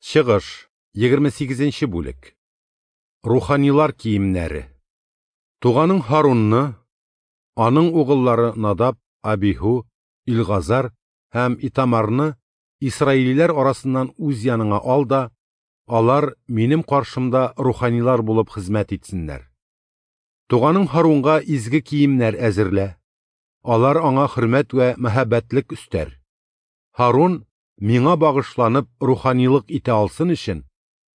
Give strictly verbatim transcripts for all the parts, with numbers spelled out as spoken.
Чыгыш, егерме сигезенче бүлек. Руханилар киемнәре. Туганың Һарунны, аның угыллары Надаб, Абиһу, Илгазар һәм Итамарны исраилиләр арасыннан үз яныңа ал да, алар минем каршымда руханилар булып хезмәт итсеннәр. Туганың Һарунга изге киемнәр әзерлә. Алар аңа хөрмәт вә мәһабәтлек өстәр. Һарун миңа багышланып руханилык итә алсын өчен,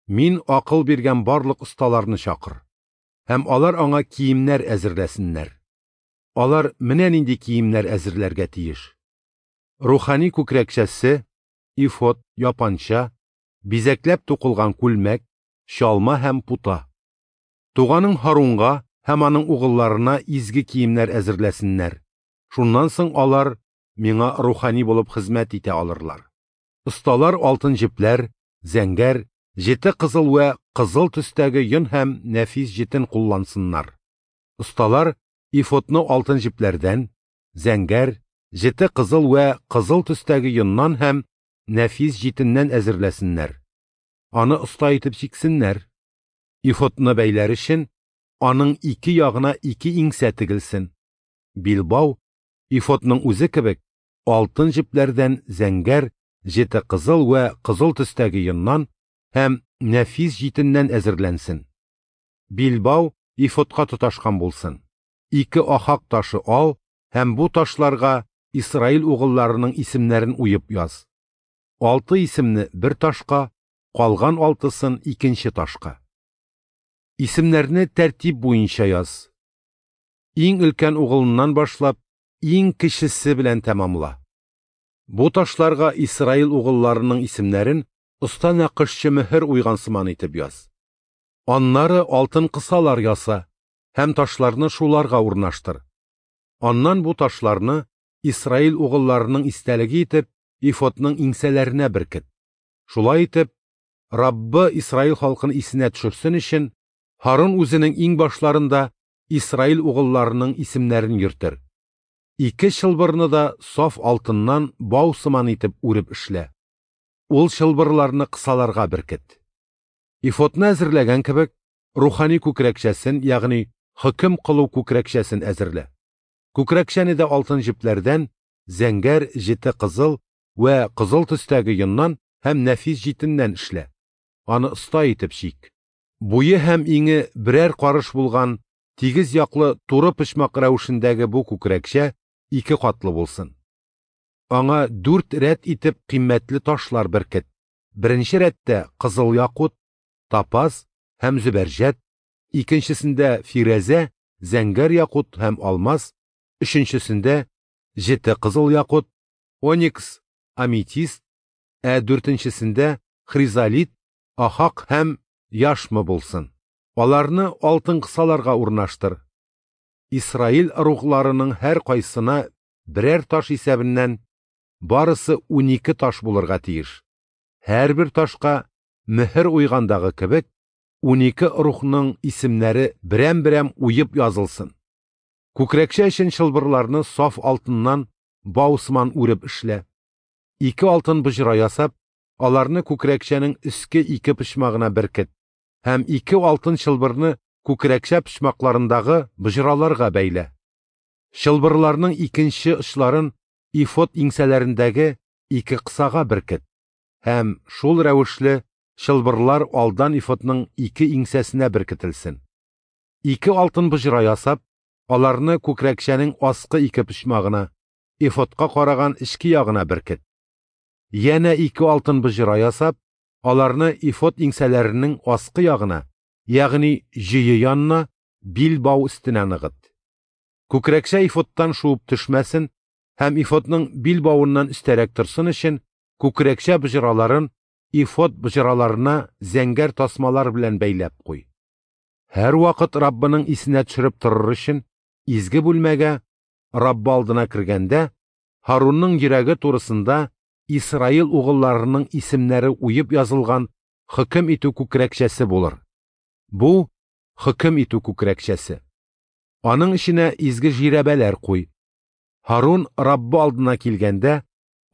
мин акыл биргән барлык осталарны чакыр. Һәм алар аңа киемнәр әзерләсеннәр. Алар менә нинди киемнәр әзерләргә тиеш. Рухани күкрәкчәсе, ифот, япанча, бизәкләп тукылган күлмәк, чалма һәм пута. Туганың Һарунга һәм аның угылларына изге киемнәр әзерләсеннәр. Шуннан соң алар миңа рухани булып хезмәт итә алырлар. Осталар алтын җепләр, зәңгәр, җете кызыл вә кызыл төстәге йон һәм нәфис җитен куллансыннар. Осталар ифотны алтын җепләрдән, зәңгәр, җете кызыл вә кызыл төстәге йоннан һәм нәфис җитеннән әзерләсеннәр. Аны оста итеп чиксеннәр. Ифотны бәйләр өчен аның ике ягына ике иңсә тегелсен. Билбау ифотның үзе кебек алтын җепләрдән, зәңгәр, җете кызыл вә кызыл төстәге йоннан һәм нәфис җитеннән әзерләнсен. Билбау ифотка тоташкан булсын. Ике ахак ташы ал һәм бу ташларга Исраил угылларының исемнәрен уеп яз. Алты исемне бер ташка, калган алтысын икенче ташка. Исемнәрне тәртип буенча яз. Иң өлкән угылыннан башлап, иң кечесе белән тәмамла. Бу ташларга Исраил угылларының исемнәрен оста нәкышчы мөһер уйган сыман итеп яз. Аннары алтын кысалар яса һәм ташларны шуларга урнаштыр. Аннан бу ташларны Исраил угылларының истәлеге итеп ифотның иңсәләренә беркет. Шулай итеп, Раббы Исраил халкын исенә төшерсен өчен, Һарун үзенең иң башларында Исраил угылларының исемнәрен йөртер. Ике чылбырны да саф алтыннан бау сыман итеп үреп эшлә. Ул чылбырларны кысаларга беркет. Ифотны әзерләгән кебек, рухани күкрәкчәсен, ягъни хөкем кылу күкрәкчәсен әзерлә. Күкрәкчәне дә алтын җепләрдән, зәңгәр, җете кызыл вә кызыл төстәге йоннан һәм нәфис җитеннән эшлә. Аны оста итеп чик. Буе һәм иңе берәр карыш булган тигез яклы туры почмак рәвешендәге бу күкрәкчә ике катлы булсын. Аңа дүрт рәт итеп кыйммәтле ташлар беркет. Беренче рәттә кызыл якут, топаз һәм зөбәрҗәт, икенчесендә фирәзә, зәңгәр якут һәм алмаз, өченчесендә җете кызыл якут, оникс, аметист, ә дүртенчесендә хризолит, ахак һәм яшма булсын. Аларны алтын кысаларга урнаштыр. Исраил ыругларының һәр кайсына берәр таш исәбеннән барысы унике таш булырга тиеш. Һәрбер ташка мөһер уйгандагы кебек унике рухның исемнәре берәм-берәм уеп язылсын. Күкрәкчә өчен чылбырларны саф алтыннан бау сыман үреп эшлә. Ике алтын боҗра ясап, аларны күкрәкчәнең өске ике почмагына беркет һәм ике алтын чылбырны күкрәкчә почмакларындагы боҗраларга бәйлә. Чылбырларның икенче очларын ифот иңсәләрендәге ике кысага беркет һәм шул рәвешле чылбырлар алдан ифотның ике иңсәсенә беркетелсен. Ике алтын боҗра ясап, аларны күкрәкчәнең аскы ике почмагына, ифотка караган эчке ягына беркет. Янә ике алтын боҗра ясап, аларны ифот иңсәләренең аскы ягына, ягъни җөе янына, билбау өстенә ныгыт. Күкрәкчә ифоттан шуып төшмәсен һәм ифотның билбавыннан өстәрәк торсын өчен күкрәкчә боҗраларын ифот боҗраларына зәңгәр тасмалар белән бәйләп куй. Һәр вакыт Раббының исенә төшереп торыр өчен изге бүлмәгә Раббы алдына кергәндә Һарунның йөрәге турысында Исраил угылларының исемнәре уеп язылган хөкем итү күкрәкчәсе булыр. Бу хөкем итү күкрәкчәсе. Аның эченә изге жирәбәләр куй. Һарун Раббы алдына килгәндә,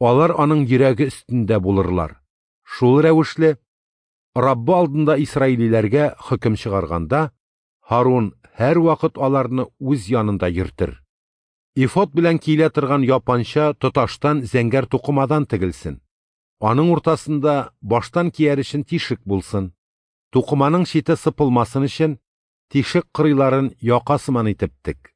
алар аның йөрәге өстендә булырлар. Шул рәвешле Раббы алдында исраилиләргә хөкем чыгарганда, Һарун һәрвакыт аларны үз янында йөртер. Эфод белән киелә торган япанча тоташтан зәңгәр тукымадан тегелсен. Аның уртасында баштан кияр өчен тишек булсын. Тукыманың чите сыпылмасын өчен тишек кырыйларын яка сыман итеп тек.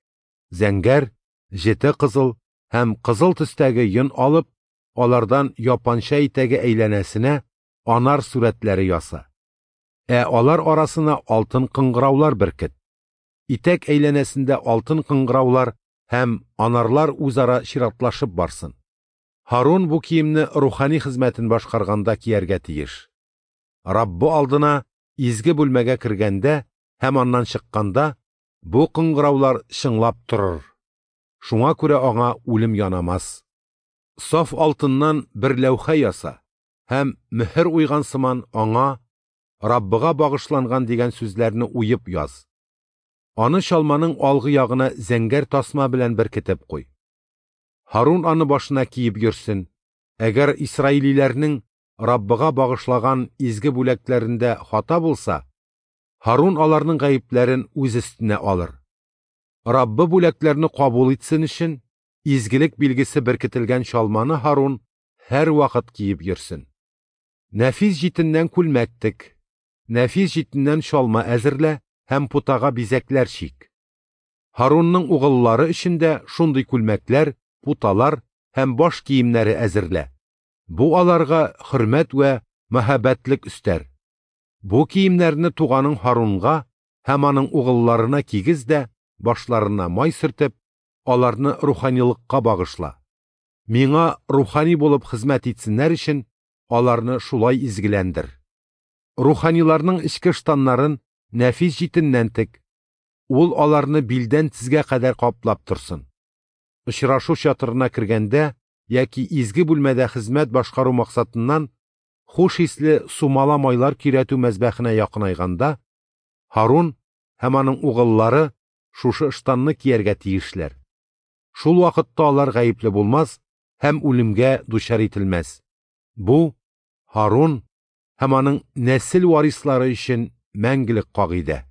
Зәңгәр, җете кызыл һәм кызыл төстәге йон алып, алардан япанча итәге әйләнәсенә анар сурәтләре яса. Ә алар арасына алтын кыңгыраулар беркет. Итәк әйләнәсендә алтын кыңгыраулар һәм анарлар үзара чиратлашып барсын. Һарун бу киемне рухани хезмәтен башкарганда кияргә тиеш. Раббы алдына изге бүлмәгә кергәндә һәм аннан чыкканда бу кыңгыраулар чыңлап торыр. Шуңа күрә аңа үлем янамас. Саф алтыннан бер ләүхә яса һәм мөһер уйган сыман аңа Раббыга багышланган дигән сүзләрне уеп яз. Аны чалманың алгы ягына зәңгәр тасма белән беркетеп куй. Һарун аны башына киеп йөрсен. Әгәр исраилиләрнең Раббыга багышлаган изге бүләкләрендә хата булса, Һарун аларның гаепләрен үз өстенә алыр. Раббы бүләкләрне кабул итсен өчен изгелек билгесе беркетелгән чалманы Һарун һәрвакыт киеп йөрсен. Нәфис җитеннән күлмәк тек, нәфис җитеннән чалма әзерлә һәм путага бизәкләр чик. Һарунның угыллары өчен дә шундый күлмәкләр, путалар һәм баш киемнәре әзерлә. Бу аларга хөрмәт вә мәһабәтлек өстәр. Бу киемнәрне туганың Һарунга һәм аның угылларына кигез дә, башларына май сөртеп, аларны руханилыкка багышла. Миңа рухани булып хезмәт итсеннәр өчен аларны шулай изгеләндер. Руханиларның эчке ыштаннарын нәфис җитеннән тек. Ул аларны билдән тезгә кадәр каплап торсын. Очрашу чатырына кергәндә яки изге бүлмәдә хезмәт башкару максатыннан хуш исле сумала майлар көйрәтү мәзбәхенә якынайганда, Һарун һәм аның угыллары шушы ыштанны кияргә тиешләр. Шул вакытта алар гаепле булмас һәм үлемгә дучар ителмәс. Бу Һарун һәм аның нәсел варислары өчен мәңгелек кагыйдә.